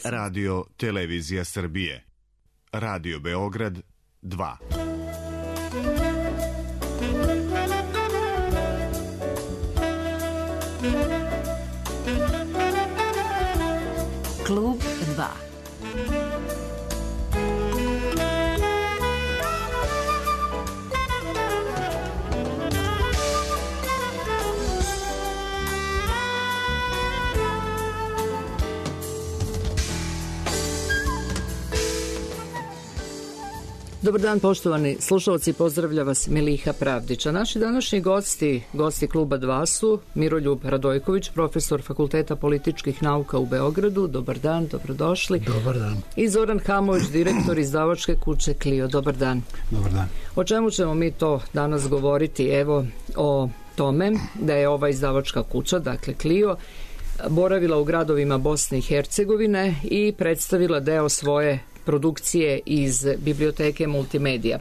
Radio Televizija Srbije. Radio Beograd 2. Klub 2. Dobar dan, poštovani slušalci, pozdravlja vas Miliha Pravdića. Naši današnji gosti Kluba 2 su Miroljub Radojković, profesor Fakulteta političkih nauka u Beogradu. Dobar dan, dobrodošli. Dobar dan. I Zoran Hamović, direktor izdavačke kuće Clio. Dobar dan. Dobar dan. O čemu ćemo mi to danas govoriti? Evo, o tome da je ova izdavačka kuća, dakle Clio, boravila u gradovima Bosne i Hercegovine i predstavila deo svoje produkcije iz biblioteke Multimedija.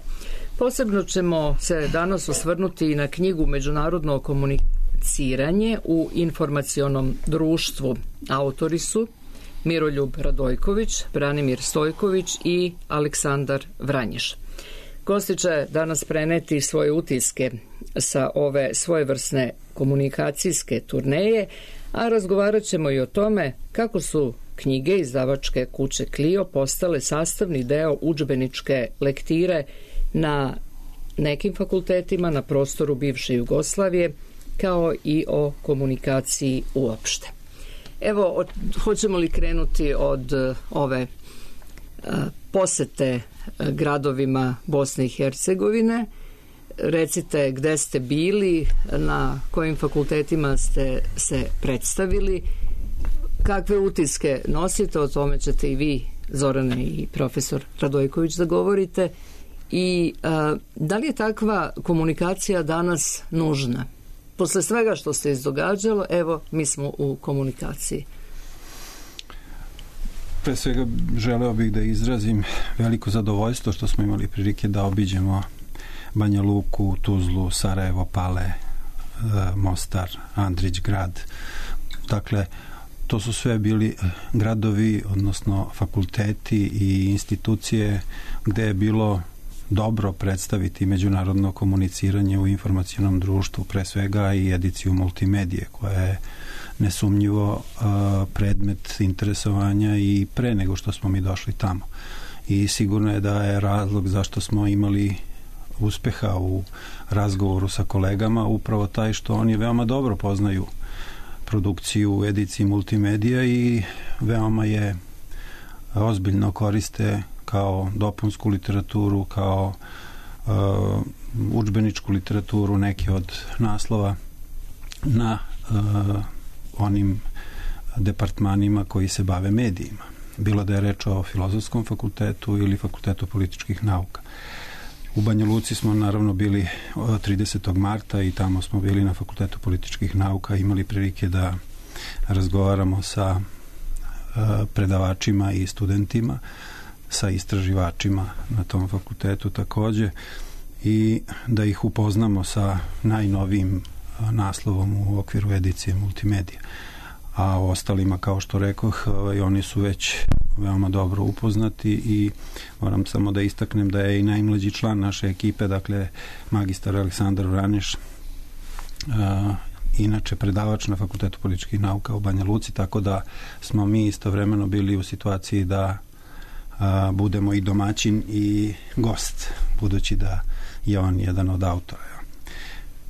Posebno ćemo se danas osvrnuti i na knjigu Međunarodno komuniciranje u informacionom društvu. Autori su Miroljub Radojković, Branimir Stojković i Aleksandar Vranješ. Gosti će danas preneti svoje utiske sa ove svojevrsne komunikacijske turneje, a razgovarat ćemo i o tome kako su knjige izdavačke kuće Clio postale sastavni deo udžbeničke lektire na nekim fakultetima na prostoru bivše Jugoslavije, kao i o komunikaciji uopšte. Evo, hoćemo li krenuti od ove posete gradovima Bosne i Hercegovine? Recite gde ste bili, na kojim fakultetima ste se predstavili, kakve utiske nosite, o tome ćete i vi, Zorane, i profesor Radojković, da govorite. I da li je takva komunikacija danas nužna? Posle svega što se izdogađalo, evo, mi smo u komunikaciji. Pre svega želeo bih da izrazim veliko zadovoljstvo što smo imali prilike da obiđemo Banja Luku, Tuzlu, Sarajevo, Pale, Mostar, Andrić grad. Dakle, to su sve bili gradovi, odnosno fakulteti i institucije gde je bilo dobro predstaviti međunarodno komuniciranje u informacionom društvu, pre svega i ediciju Multimedije, koja je nesumnjivo predmet interesovanja i pre nego što smo mi došli tamo. I sigurno je da je razlog zašto smo imali uspeha u razgovoru sa kolegama upravo taj što oni veoma dobro poznaju produkciju u ediciji Multimedija i veoma je ozbiljno koriste kao dopunsku literaturu, kao udžbeničku literaturu, neki od naslova na onim departmanima koji se bave medijima. Bilo da je reč o Filozofskom fakultetu ili Fakultetu političkih nauka. U Banja Luci smo naravno bili 30. marta i tamo smo bili na Fakultetu političkih nauka, imali prilike da razgovaramo sa predavačima i studentima, sa istraživačima na tom fakultetu takođe i da ih upoznamo sa najnovijim naslovom u okviru edicije Multimedija. A o ostalima, kao što rekoh, oni su već veoma dobro upoznati i moram samo da istaknem da je i najmlađi član naše ekipe, dakle magistar Aleksandar Vranješ, inače predavač na Fakultetu političkih nauka u Banja Luci, tako da smo mi istovremeno bili u situaciji da budemo i domaćin i gost, budući da je on jedan od autora.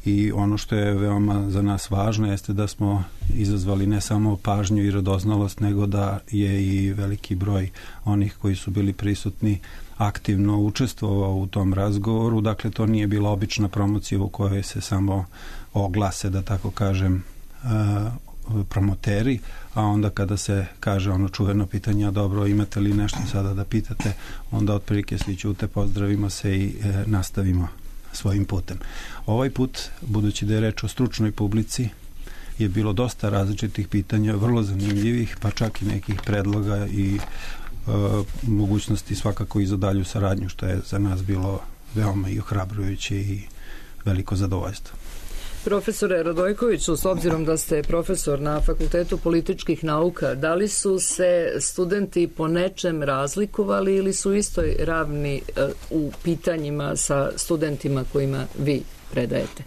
I ono što je veoma za nas važno jeste da smo izazvali ne samo pažnju i radoznalost, nego da je i veliki broj onih koji su bili prisutni aktivno učestvovao u tom razgovoru. Dakle, to nije bila obična promocija u kojoj se samo oglase, da tako kažem, promoteri, a onda kada se kaže ono čuveno pitanje, a dobro, imate li nešto sada da pitate, onda otprilike svi ćute, pozdravimo se i nastavimo svojim putem. Ovaj put, budući da je reč o stručnoj publici, je bilo dosta različitih pitanja, vrlo zanimljivih, pa čak i nekih predloga i mogućnosti svakako i za dalju saradnju, što je za nas bilo veoma i ohrabrujuće i veliko zadovoljstvo. Profesore Radojkoviću, s obzirom da ste profesor na Fakultetu političkih nauka, da li su se studenti po nečem razlikovali ili su istoj ravni u pitanjima sa studentima kojima vi predajete?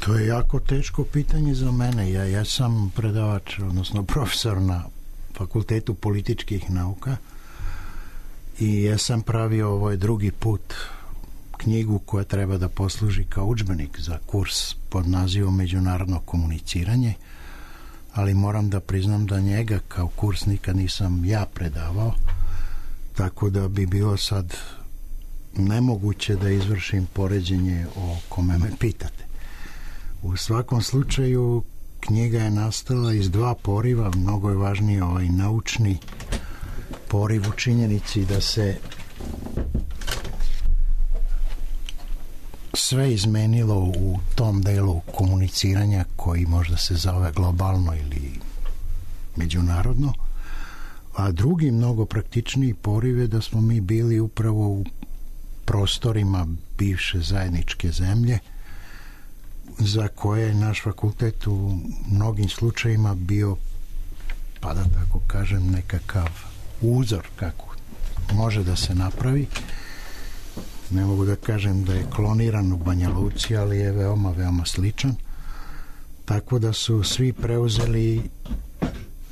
To je jako teško pitanje za mene. Ja sam predavač, odnosno profesor na Fakultetu političkih nauka i ja sam pravio ovaj drugi put knjigu koja treba da posluži kao udžbenik za kurs pod nazivom Međunarodno komuniciranje, ali moram da priznam da njega kao kurs nikad nisam ja predavao, tako da bi bilo sad nemoguće da izvršim poređenje o kome me pitate. U svakom slučaju knjiga je nastala iz dva poriva. Mnogo je važniji ovaj naučni poriv u činjenici da se sve izmenilo u tom delu komuniciranja koji možda se zove globalno ili međunarodno, a drugi mnogo praktičniji poriv je da smo mi bili upravo u prostorima bivše zajedničke zemlje za koje je naš fakultet u mnogim slučajima bio, pa da tako kažem, nekakav uzor kako može da se napravi. Ne mogu da kažem da je kloniran u Banja Luci, ali je veoma, veoma sličan. Tako da su svi preuzeli,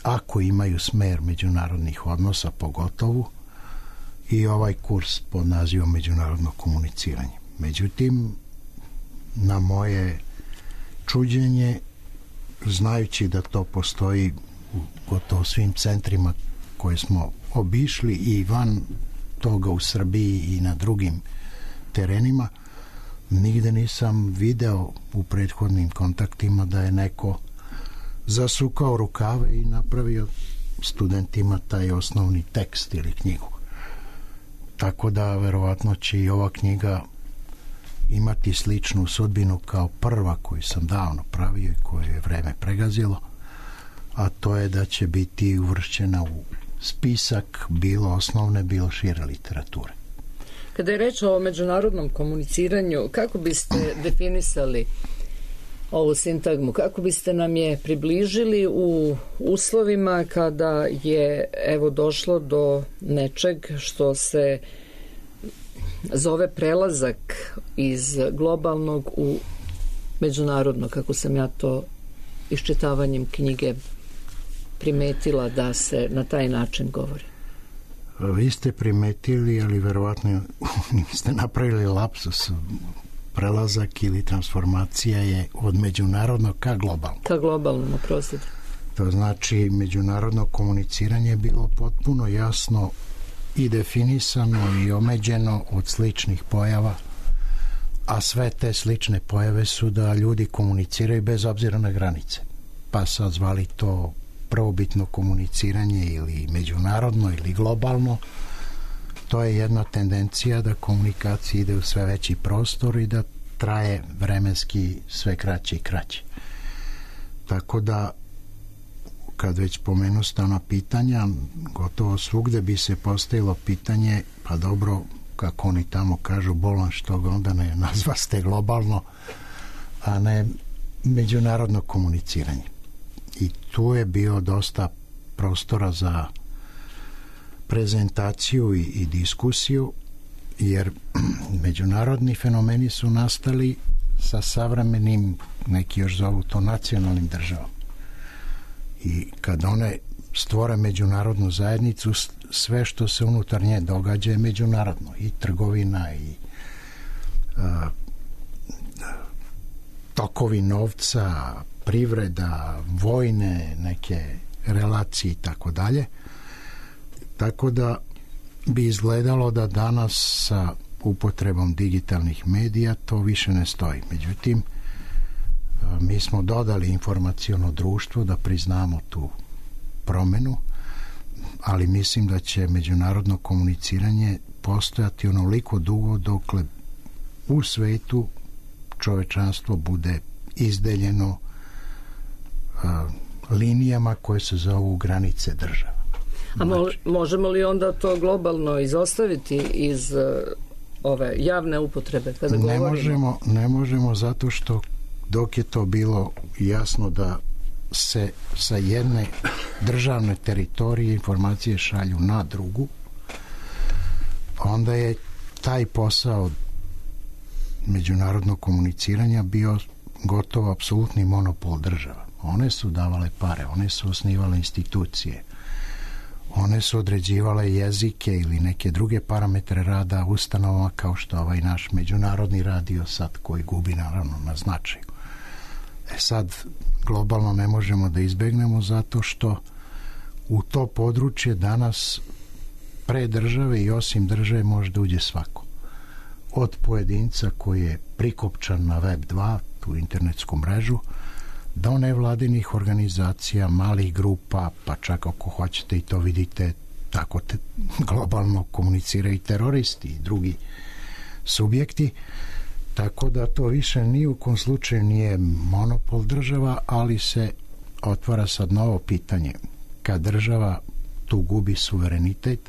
ako imaju smer međunarodnih odnosa pogotovo, i ovaj kurs pod nazivom Međunarodno komuniciranje. Međutim, na moje čuđenje, znajući da to postoji u gotovo svim centrima koje smo obišli i van toga u Srbiji i na drugim terenima, nigde nisam video u prethodnim kontaktima da je neko zasukao rukave i napravio studentima taj osnovni tekst ili knjigu. Tako da verovatno će i ova knjiga imati sličnu sudbinu kao prva koju sam davno pravio i koju je vreme pregazilo, a to je da će biti uvršćena u spisak bilo osnovne, bilo šire literature. Kada je reč o međunarodnom komuniciranju, kako biste definisali ovu sintagmu? Kako biste nam je približili u uslovima kada je došlo do nečeg što se zove prelazak iz globalnog u međunarodno, kako sam ja to iščitavanjem knjige primetila da se na taj način govori? Vi ste primetili, ali verovatno ste napravili lapsus. Prelazak ili transformacija je od međunarodnog ka globalno. Ka globalno, naprostite. To znači međunarodno komuniciranje je bilo potpuno jasno i definisano i omeđeno od sličnih pojava, a sve te slične pojave su da ljudi komuniciraju bez obzira na granice. Pa sad zvali to prvobitno komuniciranje ili međunarodno ili globalno. To je jedna tendencija da komunikacija ide u sve veći prostor i da traje vremenski sve kraće i kraće. Tako da, kad već pomenu stana pitanja, gotovo svugde bi se postavilo pitanje, pa dobro, kako oni tamo kažu, bolan što ga onda ne nazvaste globalno, a ne međunarodno komuniciranje. I tu je bio dosta prostora za prezentaciju i diskusiju, jer međunarodni fenomeni su nastali sa savremenim, neki još zovu to nacionalnim državama. I kad one stvore međunarodnu zajednicu, sve što se unutar nje događa je međunarodno. I trgovina, i tokovi novca, privreda, vojne neke relacije i tako dalje. Tako da bi izgledalo da danas sa upotrebom digitalnih medija to više ne stoji. Međutim, mi smo dodali informaciono društvo da priznamo tu promenu, ali mislim da će međunarodno komuniciranje postojati onoliko dugo dokle u svetu čovečanstvo bude izdeljeno linijama koje se zovu granice država. A možemo li onda to globalno izostaviti iz ove javne upotrebe kada govorimo? Ne možemo zato što dok je to bilo jasno da se sa jedne državne teritorije informacije šalju na drugu, onda je taj posao međunarodnog komuniciranja bio gotovo apsolutni monopol država. One su davale pare, one su osnivale institucije, one su određivale jezike ili neke druge parametre rada ustanovama kao što ovaj naš međunarodni radio sad koji gubi naravno na značaju. Sad globalno ne možemo da izbegnemo zato što u to područje danas pre države i osim države može da uđe svako. Od pojedinca koji je prikopčan na Web 2, tu internetsku mrežu, do nevladinih organizacija, malih grupa, pa čak ako hoćete i to vidite, tako globalno komuniciraju i teroristi i drugi subjekti, tako da to više ni u kom slučaju nije monopol država, ali se otvara sad novo pitanje. Kad država tu gubi suverenitet,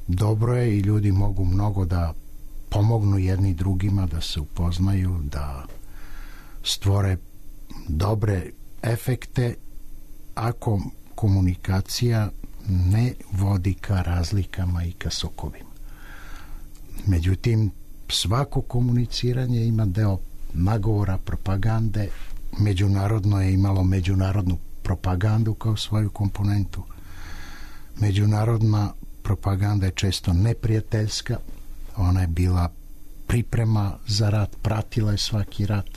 dobro je i ljudi mogu mnogo da pomognu jedni drugima, da se upoznaju, da stvore dobre efekte ako komunikacija ne vodi ka razlikama i ka sukobima. Međutim, svako komuniciranje ima deo nagovora, propagande. Međunarodno je imalo međunarodnu propagandu kao svoju komponentu. Međunarodna propaganda je često neprijateljska. Ona je bila priprema za rat, pratila je svaki rat,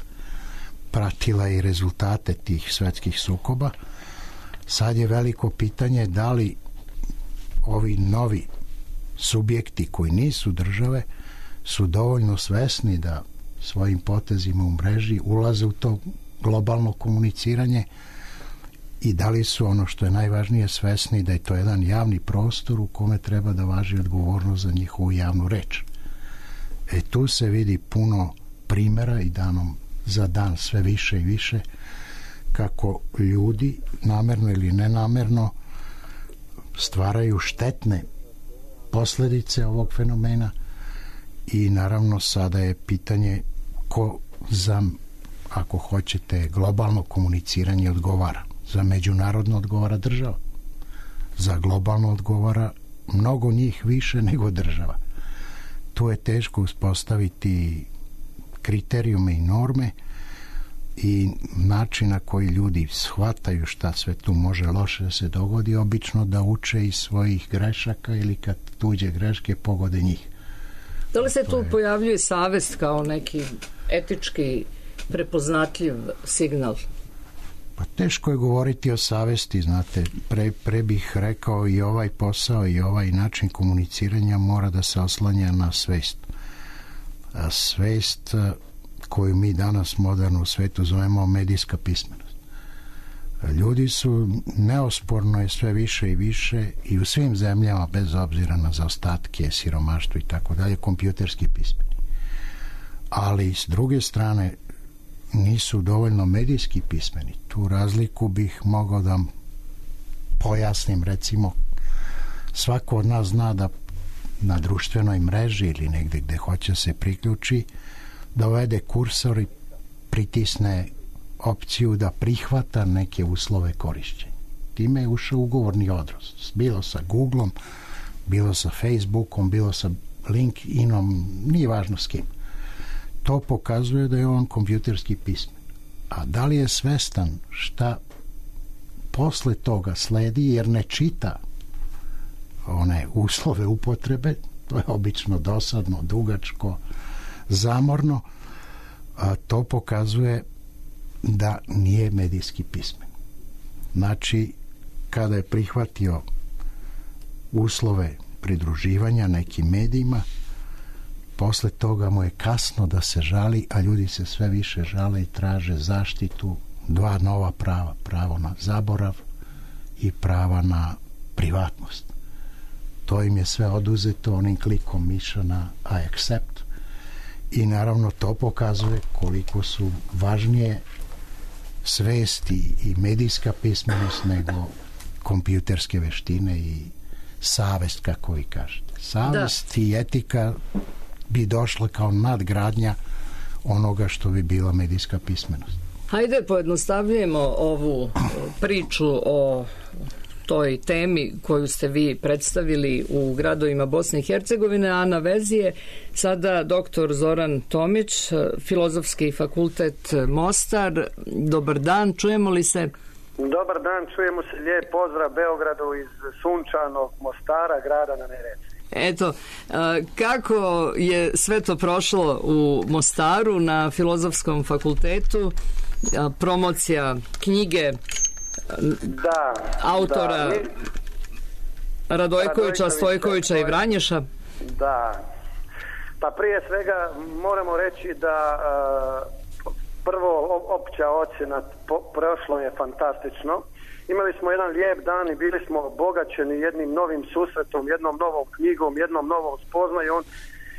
pratila je i rezultate tih svetskih sukoba. Sad je veliko pitanje da li ovi novi subjekti koji nisu države su dovoljno svesni da svojim potezima u mreži ulaze u to globalno komuniciranje i da li su, ono što je najvažnije, svesni da je to jedan javni prostor u kome treba da važi odgovornost za njihovu javnu reč. Tu se vidi puno primjera i danom za dan sve više i više kako ljudi namerno ili nenamerno stvaraju štetne posljedice ovog fenomena i naravno sada je pitanje ko za, ako hoćete, globalno komuniciranje odgovara. Za međunarodno odgovara država. Za globalno odgovara mnogo njih više nego država. Tu je teško uspostaviti kriterijume i norme i način na koji ljudi shvataju šta sve tu može loše da se dogodi, obično da uče iz svojih grešaka ili kad tuđe greške pogode njih. Da li se tu pojavljuje savest kao neki etički prepoznatljiv signal? Pa teško je govoriti o savesti, znate, pre bih rekao i ovaj posao i ovaj način komuniciranja mora da se oslanja na svest. A svest koju mi danas moderno u svetu zovemo medijska pismenost. Ljudi su, neosporno je sve više i više i u svim zemljama, bez obzira na zaostatke, siromaštvo i tako dalje, kompjuterski pismeni. Ali s druge strane nisu dovoljno medijski pismeni. Tu razliku bih mogao da pojasnim. Recimo, svako od nas zna da na društvenoj mreži ili negdje gde hoće se priključi, da uvede kursor i pritisne opciju da prihvata neke uslove korišćenja. Time je ušao ugovorni odnos. Bilo sa Googlom, bilo sa Facebookom, bilo sa LinkedInom, nije važno s kim. To pokazuje da je on kompjuterski pismen. A da li je svestan šta posle toga sledi, jer ne čita one uslove upotrebe, to je obično dosadno, dugačko, zamorno, a to pokazuje da nije medijski pismen. Znači, kada je prihvatio uslove pridruživanja nekim medijima, posle toga mu je kasno da se žali, a ljudi se sve više žale i traže zaštitu, dva nova prava, pravo na zaborav i prava na privatnost. To im je sve oduzeto onim klikom miša na I accept i naravno to pokazuje koliko su važnije svesti i medijska pismenost nego kompjuterske veštine i savest, kako vi kažete. Savest i etika bi došla kao nadgradnja onoga što bi bila medijska pismenost. Hajde pojednostavljujemo ovu priču o toj temi koju ste vi predstavili u gradovima Bosne i Hercegovine, a na vezi je sada dr. Zoran Tomić, Filozofski fakultet Mostar. Dobar dan, čujemo li se? Dobar dan, čujemo se. Lijep pozdrav Beogradu iz sunčanog Mostara, grada na Neretvi. Eto, kako je sve to prošlo u Mostaru na Filozofskom fakultetu? Promocija knjige autora Radojkovića, Stojkovića i Vranješa. Da. Pa prije svega moramo reći da prvo opća ocjena prošlo je fantastično. Imali smo jedan lijep dan i bili smo obogaćeni jednim novim susretom, jednom novom knjigom, jednom novom spoznajom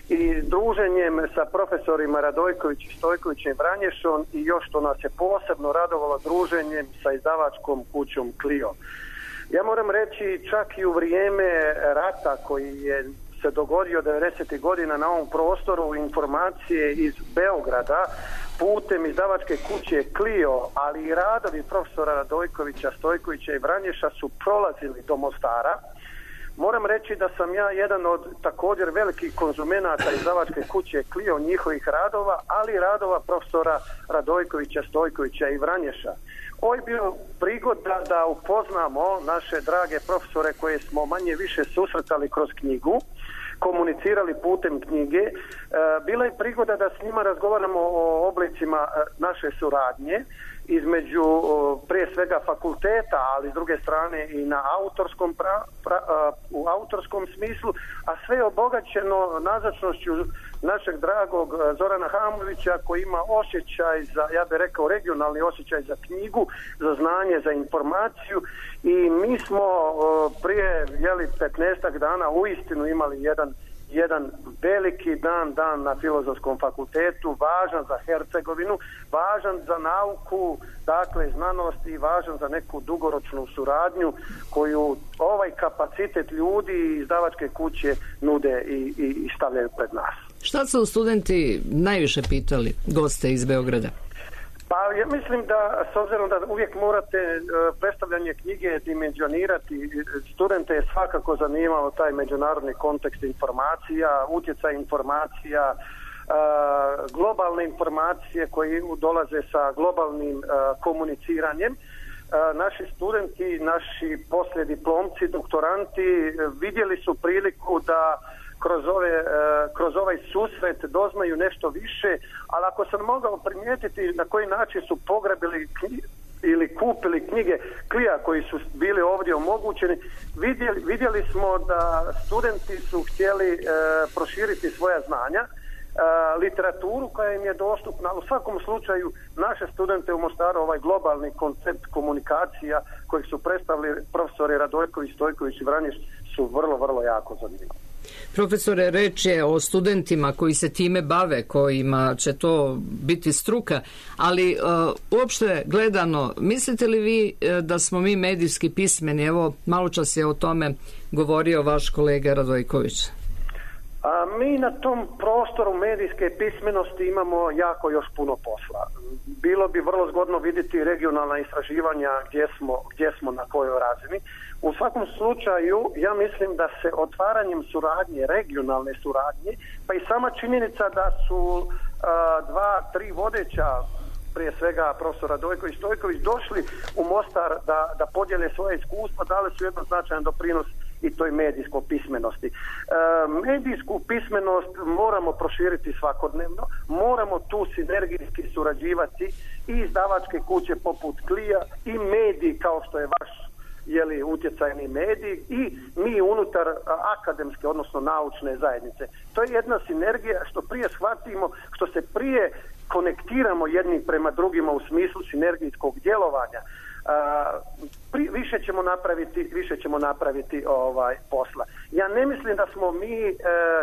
i druženjem sa profesorima Radojković, Stojkovićem i Vranješom i još što nas je posebno radovalo druženjem sa izdavačkom kućom Clio. Ja moram reći čak i u vrijeme rata koji je se dogodio 90. godina na ovom prostoru, informacije iz Beograda putem izdavačke kuće Clio, ali i radovi profesora Radojkovića, Stojkovića i Vranješa su prolazili do Mostara. Moram reći da sam ja jedan od također velikih konzumenata izdavačke kuće Clio, njihovih radova, ali i radova profesora Radojkovića, Stojkovića i Vranješa. Ovo je bio prigoda da upoznamo naše drage profesore koje smo manje više susretali kroz knjigu, komunicirali putem knjige. Bila je prigoda da s njima razgovaramo o oblicima naše suradnje između prije svega fakulteta, ali s druge strane i na u autorskom smislu, a sve je obogaćeno nazočnošću našeg dragog Zorana Hamovića koji ima osjećaj za, ja bih rekao, regionalni osjećaj za knjigu, za znanje, za informaciju i mi smo prije 15 dana uistinu imali jedan veliki dan na Filozofskom fakultetu, važan za Hercegovinu, važan za nauku, dakle znanost i važan za neku dugoročnu suradnju koju ovaj kapacitet ljudi i izdavačke kuće nude i stavljaju pred nas. Šta su studenti najviše pitali goste iz Beograda? Pa ja mislim da, s obzirom da uvijek morate predstavljanje knjige dimenzionirati, studente je svakako zanimao taj međunarodni kontekst informacija, utjecaj informacija, globalne informacije koje dolaze sa globalnim komuniciranjem. Naši studenti, naši poslijediplomci, doktoranti vidjeli su priliku da kroz ovaj susret doznaju nešto više, ali ako sam mogao primijetiti na koji način su pograbili ili kupili knjige Klija koji su bili ovdje omogućeni, vidjeli smo da studenti su htjeli proširiti svoja znanja, literaturu koja im je dostupna. U svakom slučaju naše studente u Mostaru ovaj globalni koncept komunikacija kojeg su predstavili profesori Radojković, Stojković i Vranješ su vrlo, vrlo jako zanimljivi. Profesore, reč je o studentima koji se time bave, kojima će to biti struka, ali uopšte gledano, mislite li vi da smo mi medijski pismeni? Evo, malo čas je o tome govorio vaš kolega Radojković. Mi na tom prostoru medijske pismenosti imamo jako još puno posla. Bilo bi vrlo zgodno vidjeti regionalna istraživanja gdje smo na kojoj razini. U svakom slučaju, ja mislim da se otvaranjem suradnje, regionalne suradnje, pa i sama činjenica da su 2-3 vodeća, prije svega profesor Radojković, Stojković, došli u Mostar da podijele svoje iskustva, dali su jedan značajan doprinos i toj medijskoj pismenosti. Medijsku pismenost moramo proširiti svakodnevno, moramo tu sinergijski surađivati i izdavačke kuće poput Klija i mediji kao što je vaš utjecajni medij i mi unutar akademske, odnosno naučne zajednice. To je jedna sinergija što prije shvatimo, što se prije konektiramo jedni prema drugima u smislu sinergijskog djelovanja. Više ćemo napraviti posla. Ja ne mislim da smo mi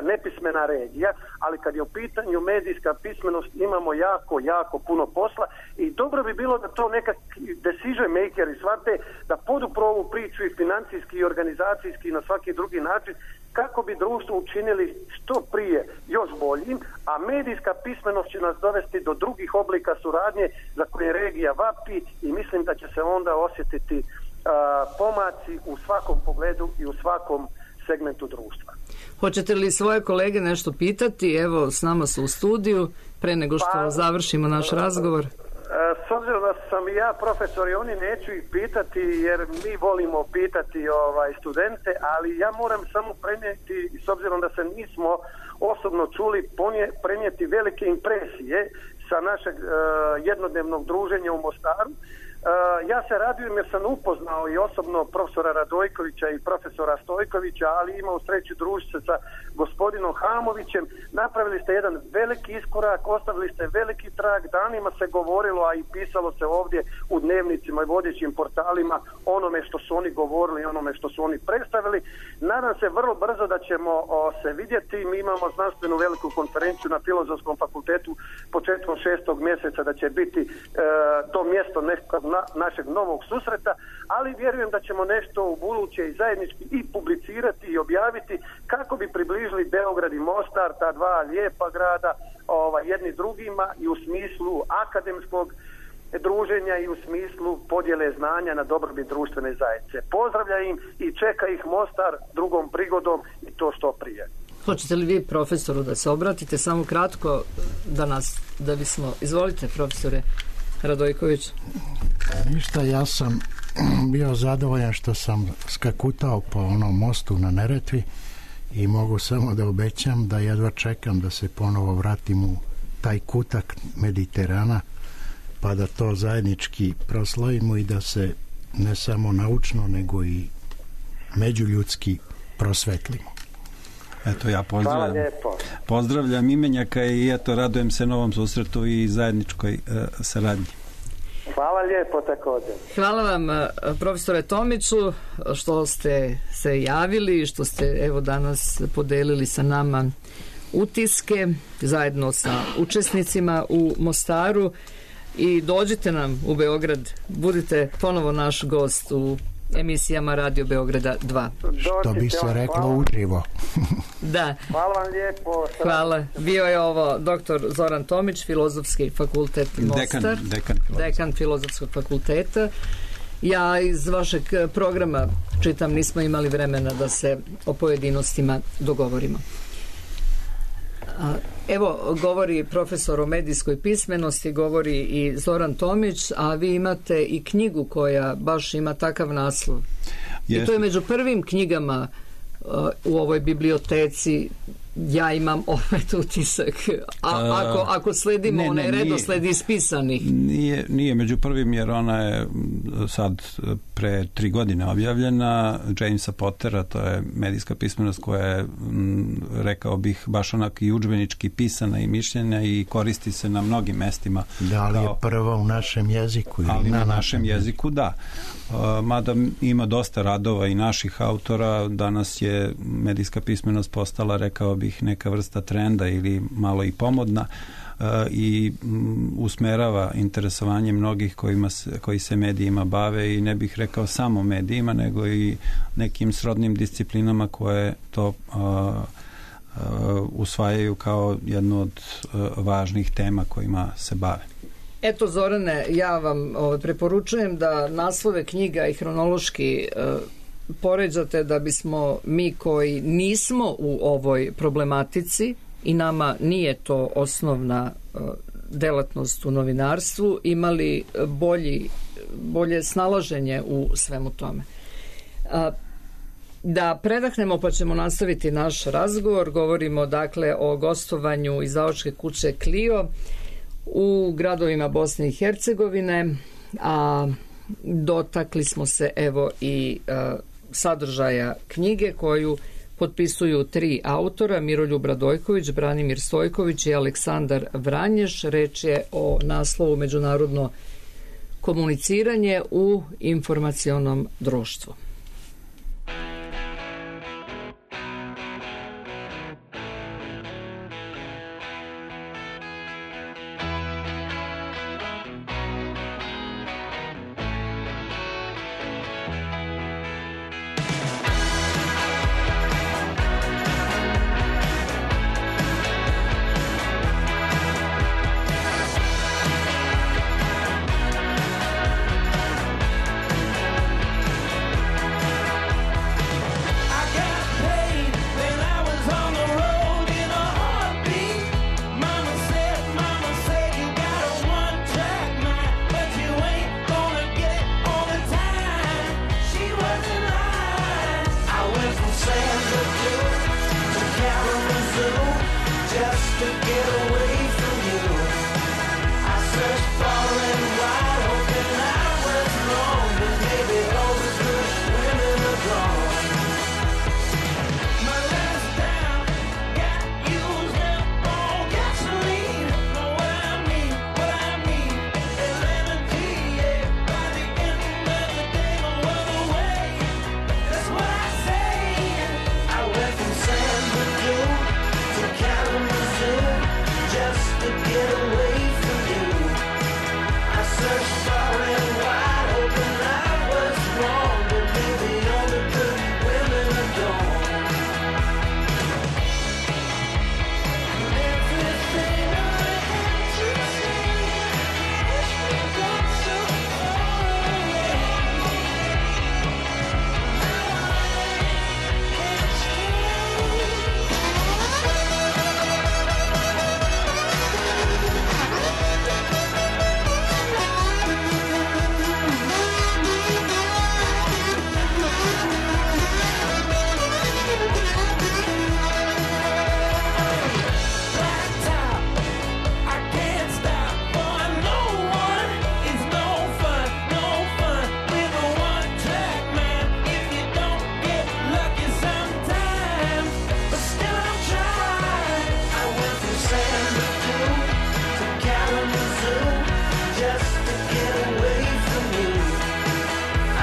nepismena regija, ali kad je u pitanju medijska pismenost imamo jako puno posla i dobro bi bilo da to nekakvi decision makeri shvate da podupru ovu priču i financijski i organizacijski i na svaki drugi način kako bi društvo učinili što prije još boljim, a medijska pismenost će nas dovesti do drugih oblika suradnje za koje regija vapi i mislim da će se onda osjetiti pomaci u svakom pogledu i u svakom segmentu društva. Hoćete li svoje kolege nešto pitati? Evo, s nama su u studiju, pre nego što završimo naš razgovor. S obzirom da sam i ja profesor i oni, neću ih pitati jer mi volimo pitati studente, ali ja moram samo prenijeti, s obzirom da se nismo osobno čuli, prenijeti velike impresije sa našeg jednodnevnog druženja u Mostaru. Ja se radujem jer sam upoznao i osobno profesora Radojkovića i profesora Stojkovića, ali imao sreću družiti se sa gospodinom Hamovićem. Napravili ste jedan veliki iskorak, ostavili ste veliki trag, danima se govorilo, a i pisalo se ovdje u dnevnicima i vodećim portalima onome što su oni govorili, onome što su oni predstavili. Nadam se vrlo brzo da ćemo se vidjeti. Mi imamo znanstvenu veliku konferenciju na Filozofskom fakultetu početkom 6. mjeseca, da će biti to mjesto nekog našeg novog susreta, ali vjerujem da ćemo nešto u buduće i zajednički i publicirati i objaviti kako bi približili Beograd i Mostar, ta dva lijepa grada, jedni drugima i u smislu akademskog druženja i u smislu podjele znanja na dobrobit društvene zajednice. Pozdravlja im i čeka ih Mostar drugom prigodom i to što prije. Hoćete li vi profesoru da se obratite samo kratko da bismo... Izvolite, profesore Radojković. Ništa, ja sam bio zadovoljan što sam skakutao po onom mostu na Neretvi i mogu samo da obećam da jedva čekam da se ponovo vratim u taj kutak Mediterana, pa da to zajednički proslavimo i da se ne samo naučno nego i međuljudski prosvetlimo. Eto, ja pozdravljam imenjaka i eto, radujem se novom susretu i zajedničkoj saradnji. Hvala lijepo također. Hvala vam, profesore Tomiću, što ste se javili i što ste evo danas podelili sa nama utiske zajedno sa učesnicima u Mostaru i dođite nam u Beograd, budite ponovo naš gost u emisijama Radio Beograda 2. Što bi se reklo uživo. Da. Hvala vam lijepo. Hvala. Bio je ovo doktor Zoran Tomić, Filozofski fakultet Mostar. Dekan Filozofskog fakulteta. Ja iz vašeg programa čitam, nismo imali vremena da se o pojedinostima dogovorimo. Evo, govori profesor o medijskoj pismenosti, govori i Zoran Tomić, a vi imate i knjigu koja baš ima takav naslov. I to je među prvim knjigama u ovoj biblioteci. Ja imam opet utisak. Ako sledimo onaj redosled ispisanih. Nije među prvim, jer ona je sad pre 3 godine objavljena, Jamesa Pottera, to je medijska pismenost koja je, rekao bih, baš onako i udžbenički pisana i mišljenja i koristi se na mnogim mestima. Da li je prva u našem jeziku? Ali na našem jeziku, da. Mada ima dosta radova i naših autora, danas je medijska pismenost postala, rekao bih, neka vrsta trenda ili malo i pomodna i usmerava interesovanje mnogih koji se medijima bave i ne bih rekao samo medijima, nego i nekim srodnim disciplinama koje to usvajaju kao jednu od važnih tema kojima se bave. Eto, Zorane, ja vam preporučujem da naslove knjiga i hronološki poređate, da bismo mi koji nismo u ovoj problematici i nama nije to osnovna delatnost u novinarstvu, imali bolje snalaženje u svemu tome. Da predahnemo, pa ćemo nastaviti naš razgovor. Govorimo dakle o gostovanju izdavačke kuće Clio u gradovima Bosne i Hercegovine, a dotakli smo se evo i sadržaja knjige koju potpisuju 3 autora, Miroljub Radojković, Branimir Stojković i Aleksandar Vranješ. Reč je o naslovu Međunarodno komuniciranje u informacionom društvu. just to get away from you. I searched far and wide, hoping I was wrong, but maybe all the good women are gone. My last down got used up on gasoline. Know what I mean? What I mean is energy, yeah. By the end of the day, no other way. That's what I say. I went from San Bernardino to Kalamazoo just to get away from you. I searched far and wide, hoping I was wrong, but maybe all the good women are gone. Everything I had to say, wish we got so far away. Now I can't Blacktop, I can't stop. For no one is no fun with a one-track man. If you don't get lucky sometimes, but still I'm trying. I went from San Bernardino to Kalamazoo just to get away from you.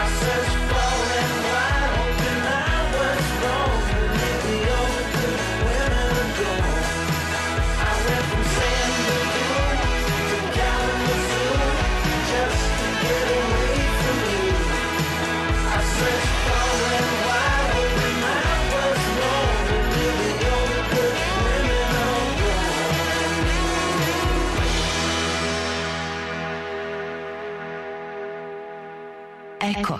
I searched far and wide, hoping I was wrong, but maybe all the good women are gone. I went from San Bernardino to Kalamazoo just to get away from you. I searched far and wide, hoping I was wrong, but maybe all the good women are gone. Eko.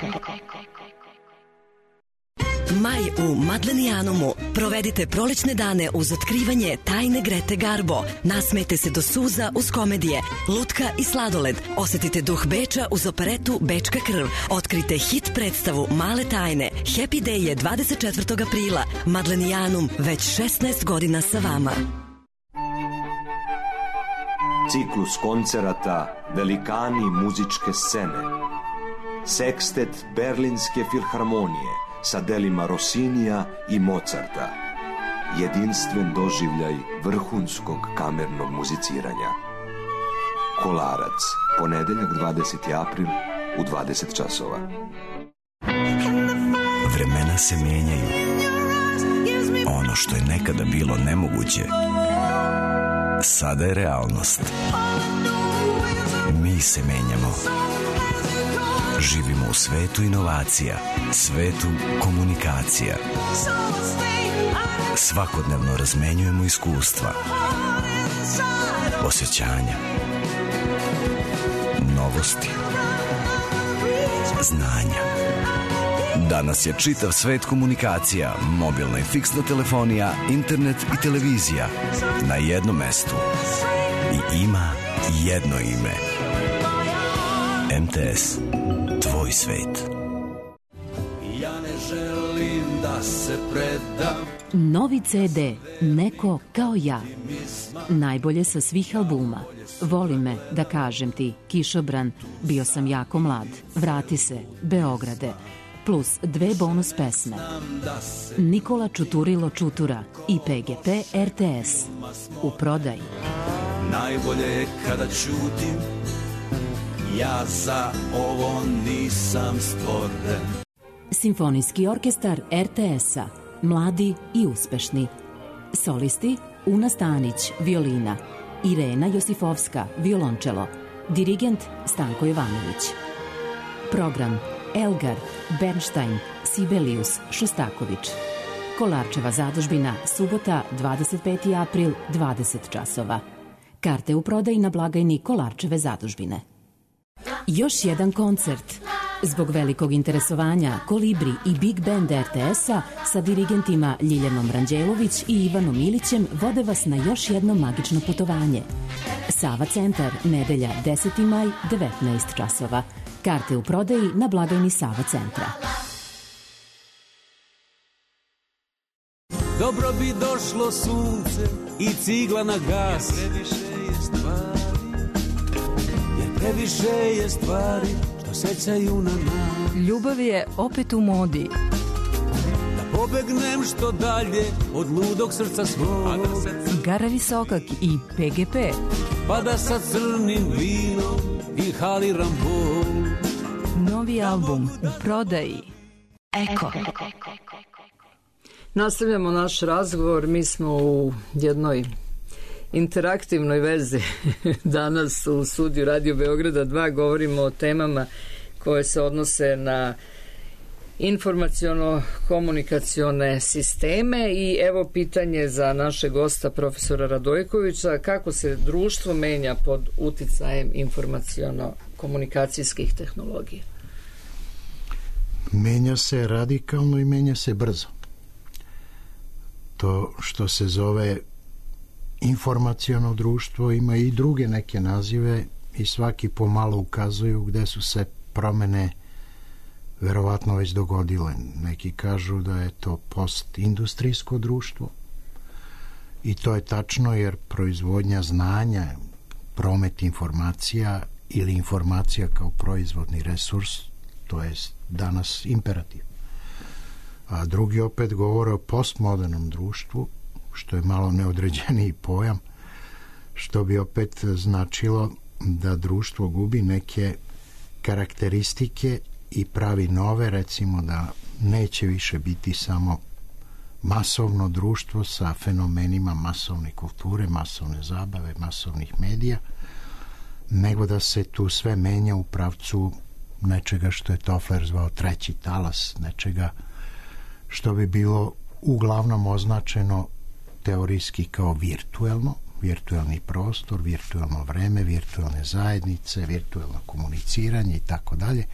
Maj u Madlenijanumu. Provedite prolećne dane uz otkrivanje tajne Grete Garbo. Nasmejte se do suza uz komedije, lutka i sladoled. Osetite duh Beča uz operetu Bečka krv. Otkrite hit predstavu Male tajne. Happy Day je 24. aprila. Madlenijanum već 16 godina sa vama. Ciklus koncerata Velikani muzičke scene. Sekstet Berlinske filharmonije sa delima Rossinija i Mozarta. Jedinstven doživljaj vrhunskog kamernog muziciranja. Kolarac, ponedeljak 20. april u 20 časova. Vremena se menjaju. Ono što je nekada bilo nemoguće, sada je realnost. Mi se menjamo. Živimo u svetu inovacija, svetu komunikacija. Svakodnevno razmenjujemo iskustva, osjećanja, novosti, znanja. Danas je čitav svet komunikacija, mobilna i fiksna telefonija, internet i televizija na jednom mestu. I ima jedno ime. MTS. Tvoj svet. Ja ne želim da se predam. Novi CD Neko kao ja. Najbolje sa svih albuma. Voli me, da kažem ti, Kišobran, Bio sam jako mlad, Vrati se, Beograde, plus 2 bonus pesme. Nikola Čuturilo Čutura i PGP RTS. U prodaji. Najbolje je kada ćutim, ja za ovo nisam stvoren. Simfonijski orkestar RTS-a. Mladi i uspešni. Solisti Una Stanić, violina. Irena Josifovska, violončelo. Dirigent Stanko Jovanović. Program Elgar, Bernstein, Sibelius, Šostaković. Kolarčeva zadužbina, subota, 25. april, 20 časova. Karte u prodaji na blagajni Kolarčeve zadužbine. Još jedan koncert. Zbog velikog interesovanja Kolibri i Big Band RTS-a sa dirigentima Ljiljanom Ranđelović i Ivanom Ilićem vode vas na još jedno magično putovanje. Sava centar, nedelja 10. maj, 19 časova. Karte u prodaji na blagajni Sava centra. dobro bi došlo sunce i cigla na gas. Jer previše je stvari što sećaju na nas. Ljubav je opet u modi. Da pobegnem što dalje od ludog srca svog. Igara Visokak i PGP. Pa da sa crnim vinom inhaliram bol. Novi album u prodaji. Eko. Nastavljamo naš razgovor. Mi smo u jednoj interaktivnoj vezi danas u studiju Radio Beograda 2. Govorimo o temama koje se odnose na informaciono-komunikacione sisteme i evo pitanje za naše gosta profesora Radojkovića: kako se društvo menja pod uticajem informaciono-komunikacijskih tehnologija? Menja se radikalno i menja se brzo. To što se zove informaciono društvo ima i druge neke nazive i svaki pomalo ukazuju gde su se promene verovatno već dogodile. Neki kažu da je to postindustrijsko društvo i to je tačno, jer proizvodnja znanja, promet informacija ili informacija kao proizvodni resurs, to je danas imperativ. A drugi opet govore o postmodernom društvu, što je malo neodređeniji pojam, što bi opet značilo da društvo gubi neke karakteristike i pravi nove, recimo da neće više biti samo masovno društvo sa fenomenima masovne kulture, masovne zabave, masovnih medija, nego da se tu sve menja u pravcu nečega što je Toffler zvao treći talas, nečega što bi bilo uglavnom označeno teorijski kao virtuelno, virtuelni prostor, virtuelno vreme, virtuelne zajednice, virtuelno komuniciranje i tako dalje,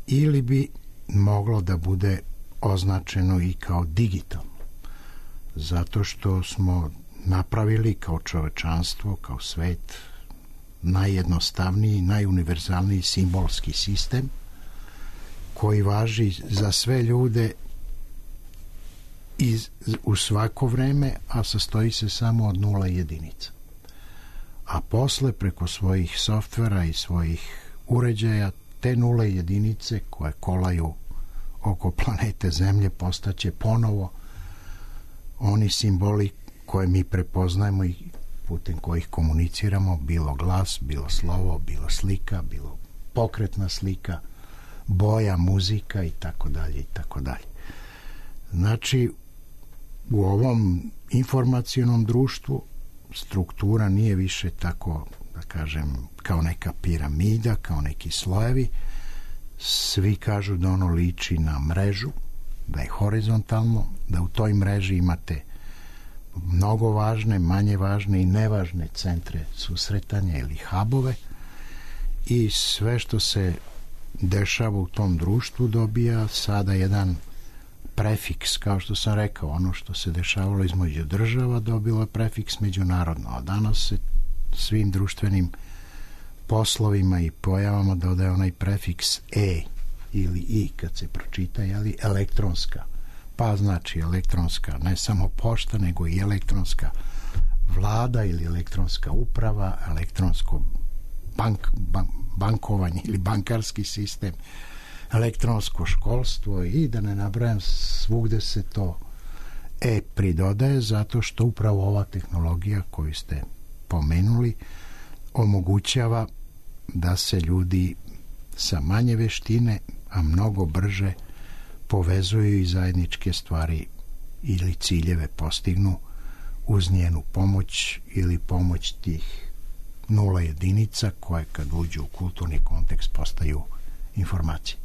ili bi moglo da bude označeno i kao digitalno, zato što smo napravili kao čovečanstvo, kao svet, najjednostavniji, najuniverzalniji simbolski sistem koji važi za sve ljude u svako vreme, a sastoji se samo od 0 i jedinica. A posle, preko svojih softvera i svojih uređaja, te 0 i jedinice koje kolaju oko planete Zemlje postaće ponovo oni simboli koje mi prepoznajemo i putem kojih komuniciramo, bilo glas, bilo slovo, bilo slika, bilo pokretna slika, boja, muzika i tako dalje i tako dalje. Znači, u ovom informacionom društvu struktura nije više tako, da kažem, kao neka piramida, kao neki slojevi. Svi kažu da ono liči na mrežu, da je horizontalno, da u toj mreži imate mnogo važne, manje važne i nevažne centre susretanja ili hubove i sve što se dešava u tom društvu dobija sada jedan prefiks, kao što sam rekao, ono što se dešavalo između država dobilo je prefiks međunarodno, a danas se svim društvenim poslovima i pojavama dodaje onaj prefiks e ili i kad se pročita, jeli, elektronska, pa znači elektronska ne samo pošta, nego i elektronska vlada ili elektronska uprava, elektronsko bankovanje ili bankarski sistem, elektronsko školstvo i da ne nabrajam, svugde se to pridodaje, zato što upravo ova tehnologija koju ste pomenuli omogućava da se ljudi sa manje veštine, a mnogo brže povezuju i zajedničke stvari ili ciljeve postignu uz njenu pomoć ili pomoć tih 0 jedinica koje kad uđu u kulturni kontekst postaju informacije.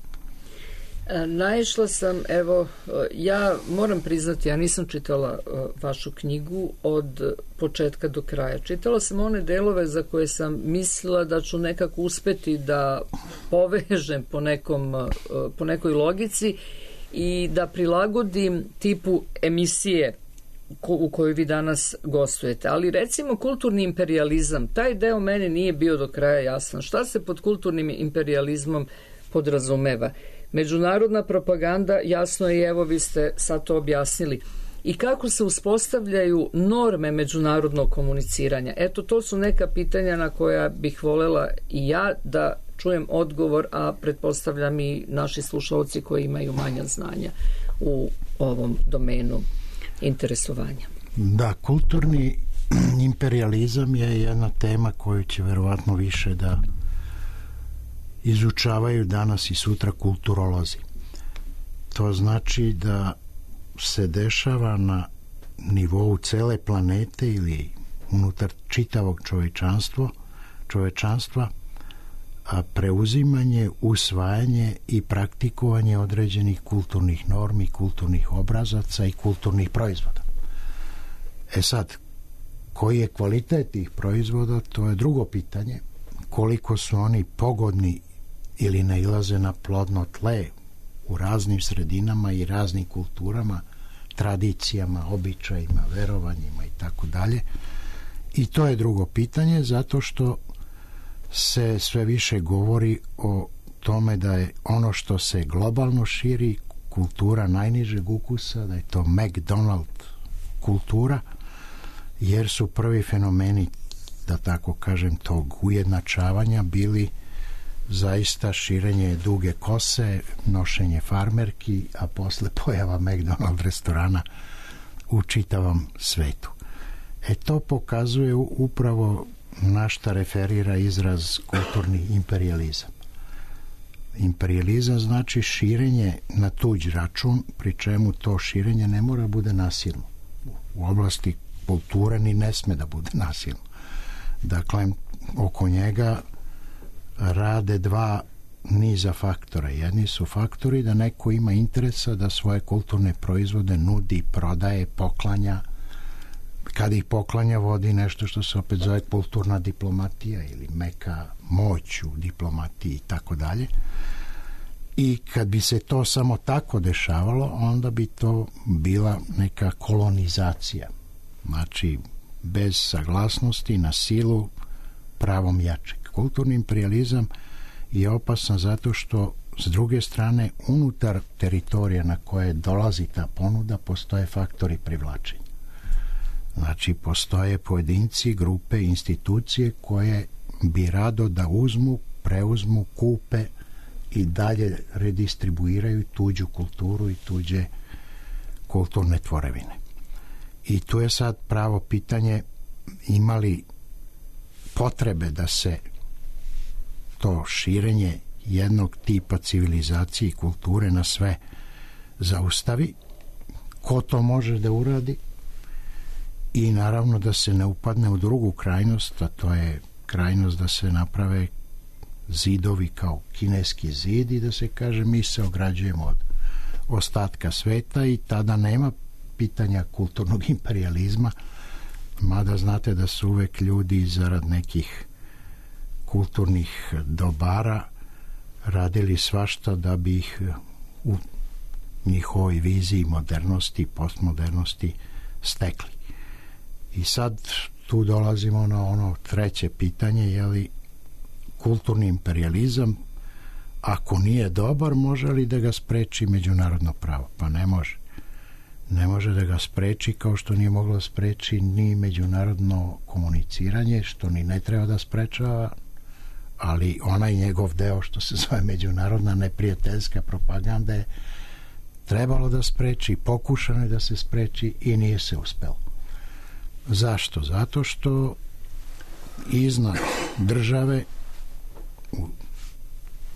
Naišla sam, evo, ja moram priznati, ja nisam čitala vašu knjigu od početka do kraja. Čitala sam one delove za koje sam mislila da ću nekako uspeti da povežem po nekoj logici i da prilagodim tipu emisije u kojoj vi danas gostujete. Ali recimo kulturni imperijalizam, taj deo meni nije bio do kraja jasan. Šta se pod kulturnim imperijalizmom podrazumeva? Međunarodna propaganda, jasno je, evo vi ste sad to objasnili. i kako se uspostavljaju norme međunarodnog komuniciranja? Eto, to su neka pitanja na koja bih voljela i ja da čujem odgovor, a pretpostavljam i naši slušalci koji imaju manja znanja u ovom domenu interesovanja. Da, kulturni imperializam je jedna tema koju će verovatno više da izučavaju danas i sutra kulturolozi. To znači da se dešava na nivou cele planete ili unutar čitavog čovečanstva a preuzimanje, usvajanje i praktikovanje određenih kulturnih normi, kulturnih obrazaca i kulturnih proizvoda. E sad, koji je kvalitet tih proizvoda, to je drugo pitanje. Koliko su oni pogodni ili nailaze na plodno tle u raznim sredinama i raznim kulturama, tradicijama, običajima, verovanjima i tako dalje. I to je drugo pitanje, zato što se sve više govori o tome da je ono što se globalno širi, kultura najnižeg ukusa, da je to McDonald kultura, jer su prvi fenomeni, da tako kažem, tog ujednačavanja bili zaista širenje duge kose, nošenje farmerki, a posle pojava McDonald restorana u čitavom svetu. E to pokazuje upravo na šta referira izraz kulturni imperializam. Imperializam znači širenje na tuđ račun, pri čemu to širenje ne mora bude nasilno. U oblasti kulture ni ne sme da bude nasilno. Dakle, oko njega rade dva niza faktora. Jedni su faktori da neko ima interesa da svoje kulturne proizvode nudi, prodaje, poklanja. Kad ih poklanja, vodi nešto što se opet zove kulturna diplomatija ili meka moć u diplomatiji i tako dalje. I kad bi se to samo tako dešavalo, onda bi to bila neka kolonizacija. Znači, bez saglasnosti, na silu, pravom jačeg. Kulturni imperializam je opasan zato što s druge strane unutar teritorija na koje dolazi ta ponuda postoje faktori privlačenja. Znači, postoje pojedinci, grupe, institucije koje bi rado da uzmu, preuzmu, kupe i dalje redistribuiraju tuđu kulturu i tuđe kulturne tvorevine. I tu je sad pravo pitanje, ima li potrebe da se to širenje jednog tipa civilizacije i kulture na sve zaustavi, ko to može da uradi i naravno da se ne upadne u drugu krajnost, a to je krajnost da se naprave zidovi kao kineski zid i da se kaže mi se ograđujemo od ostatka sveta i tada nema pitanja kulturnog imperializma, mada znate da su uvek ljudi zarad nekih kulturnih dobara radili svašta da bi ih u njihovoj viziji modernosti, postmodernosti stekli. I sad tu dolazimo na ono treće pitanje, je li kulturni imperializam, ako nije dobar, može li da ga spreči međunarodno pravo? Pa ne može. Ne može da ga spreči, kao što nije moglo da spreči ni međunarodno komuniciranje, što ni ne treba da sprečava, ali onaj njegov deo što se zove međunarodna neprijateljska propaganda je trebalo da spreči, pokušano je da se spreči i nije se uspelo. Zašto? Zato što iznad države u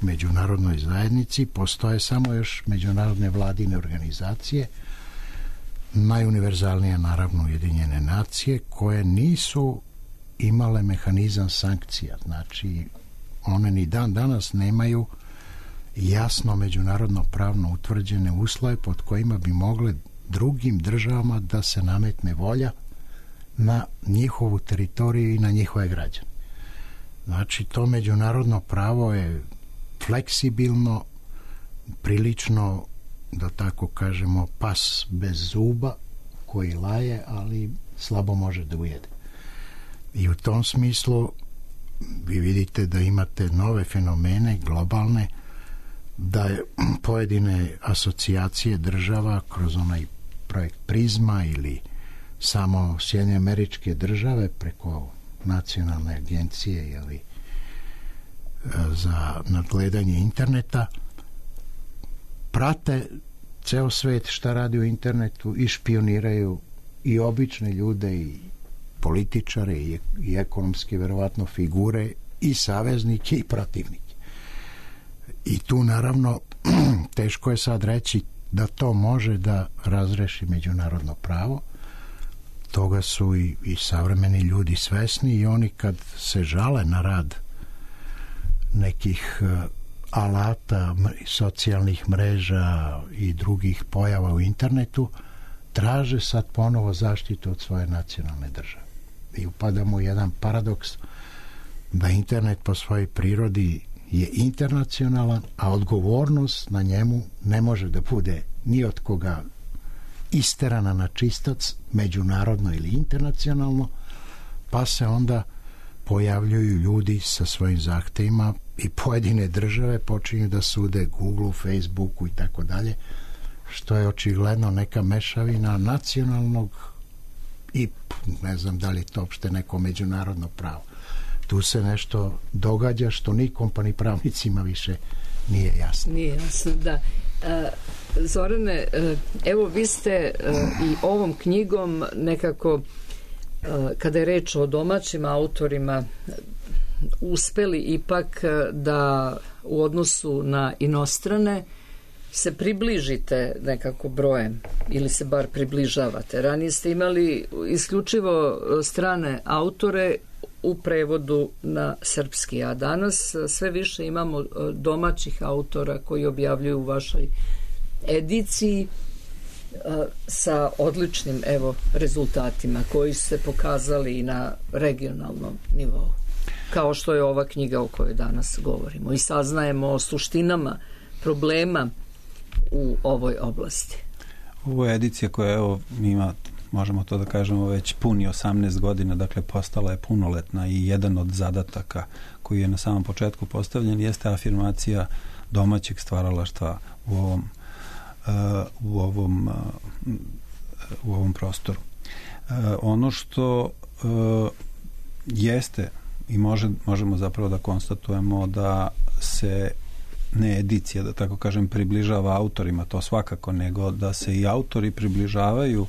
međunarodnoj zajednici postoje samo još međunarodne vladine organizacije, najuniverzalnije naravno Ujedinjene nacije, koje nisu imale mehanizam sankcija. Znači, one ni dan danas nemaju jasno međunarodno pravno utvrđene uslove pod kojima bi mogle drugim državama da se nametne volja na njihovu teritoriju i na njihove građane. Znači, to međunarodno pravo je fleksibilno, prilično, da tako kažemo, pas bez zuba koji laje, ali slabo može da ujede. I u tom smislu vi vidite da imate nove fenomene globalne, da je pojedine asocijacije država kroz onaj projekt Prizma ili samo Sjedinjene Američke Države preko nacionalne agencije ili za nadgledanje interneta prate ceo svet šta radi u internetu i špioniraju i obične ljude i političare i ekonomske verovatno figure i saveznike i protivnike. I tu naravno teško je sad reći da to može da razreši međunarodno pravo. Toga su i savremeni ljudi svesni i oni kad se žale na rad nekih alata, socijalnih mreža i drugih pojava u internetu, traže sad ponovo zaštitu od svoje nacionalne države. I upadamo u jedan paradoks da internet po svojoj prirodi je internacionalan, a odgovornost na njemu ne može da bude ni od koga isterana na čistac, međunarodno ili internacionalno, pa se onda pojavljuju ljudi sa svojim zahtevima i pojedine države počinju da sude Google, Facebooku i tako dalje, što je očigledno neka mešavina nacionalnog i ne znam da li je to uopšte neko međunarodno pravo. Tu se nešto događa što nikom pa ni pravnicima više nije jasno. Nije jasno, da. Zorane, evo vi ste i ovom knjigom nekako, kada je reč o domaćim autorima, uspeli ipak da u odnosu na inostrane se približite nekako brojem ili se bar približavate. Ranije ste imali isključivo strane autore u prevodu na srpski, a danas sve više imamo domaćih autora koji objavljuju u vašoj ediciji sa odličnim rezultatima koji su se pokazali i na regionalnom nivou, kao što je ova knjiga o kojoj danas govorimo i saznajemo o suštinama problema u ovoj oblasti. Ovo je edicija koja ima, možemo to da kažemo, već puni 18 godina, dakle postala je punoletna i jedan od zadataka koji je na samom početku postavljen jeste afirmacija domaćeg stvaralaštva u ovom prostoru. Ono što jeste i možemo zapravo da konstatujemo da se ne edicija, da tako kažem, približava autorima, to svakako, nego da se i autori približavaju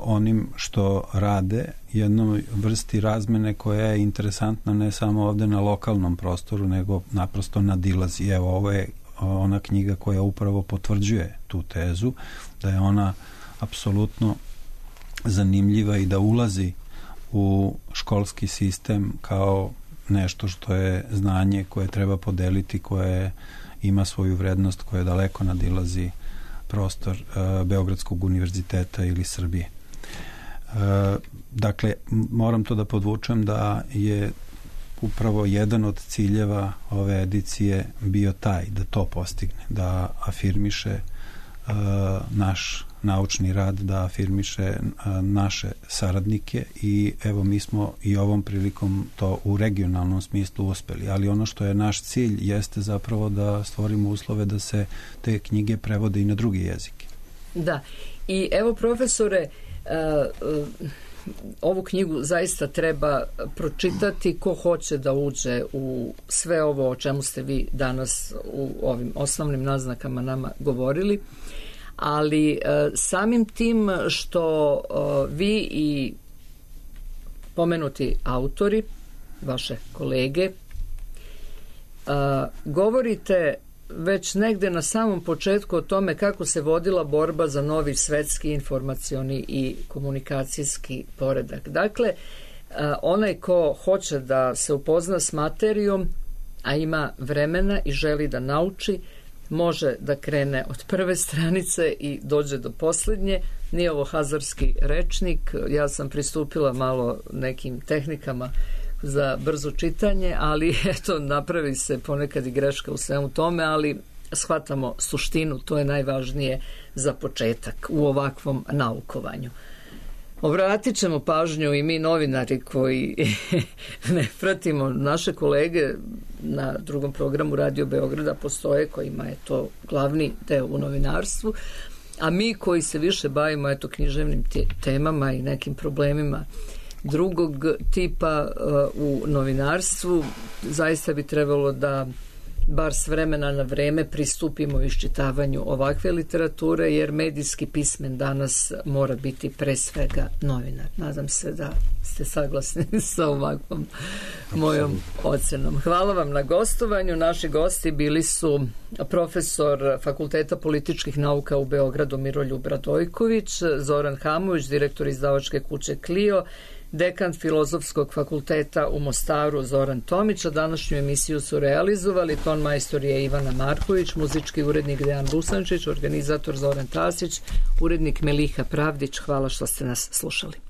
onim što rade, jednoj vrsti razmene koja je interesantna ne samo ovde na lokalnom prostoru, nego naprosto nadilazi. Evo, ovo je ona knjiga koja upravo potvrđuje tu tezu, da je ona apsolutno zanimljiva i da ulazi u školski sistem kao nešto što je znanje koje treba podeliti, koje ima svoju vrednost, koje daleko nadilazi prostor Beogradskog univerziteta ili Srbije. Dakle, moram to da podvučem da je upravo jedan od ciljeva ove edicije bio taj, da to postigne, da afirmiše naš naučni rad, da afirmiše naše saradnike i evo mi smo i ovom prilikom to u regionalnom smislu uspeli, ali ono što je naš cilj jeste zapravo da stvorimo uslove da se te knjige prevode i na drugi jezike. Da, i evo profesore, ovu knjigu zaista treba pročitati ko hoće da uđe u sve ovo o čemu ste vi danas u ovim osnovnim naznakama nama govorili, ali samim tim što vi i pomenuti autori, vaše kolege, govorite već negde na samom početku o tome kako se vodila borba za novi svetski informacioni i komunikacijski poredak. Dakle, onaj ko hoće da se upozna s materijom, a ima vremena i želi da nauči, može da krene od prve stranice i dođe do posljednje. Nije ovo hazarski rečnik, ja sam pristupila malo nekim tehnikama za brzo čitanje, ali eto, napravi se ponekad i greška u svemu tome, ali shvatamo suštinu, to je najvažnije za početak u ovakvom naukovanju. Obratit ćemo pažnju i mi novinari koji ne pratimo naše kolege na drugom programu Radio Beograda, postoje kojima je to glavni deo u novinarstvu, A mi koji se više bavimo književnim temama i nekim problemima drugog tipa u novinarstvu, zaista bi trebalo da bar s vremena na vreme pristupimo iščitavanju ovakve literature, jer medijski pismen danas mora biti pre svega novinar. Nadam se da ste saglasni sa ovakvom mojom ocenom. Hvala vam na gostovanju. Naši gosti bili su profesor Fakulteta političkih nauka u Beogradu Miroljub Radojković, Zoran Hamović, direktor izdavačke kuće Clio, dekan Filozofskog fakulteta u Mostaru Zoran Tomić, a današnju emisiju su realizovali ton majstor je Ivana Marković, muzički urednik Dejan Dusančić, organizator Zoran Tasić, urednik Meliha Pravdić. Hvala što ste nas slušali.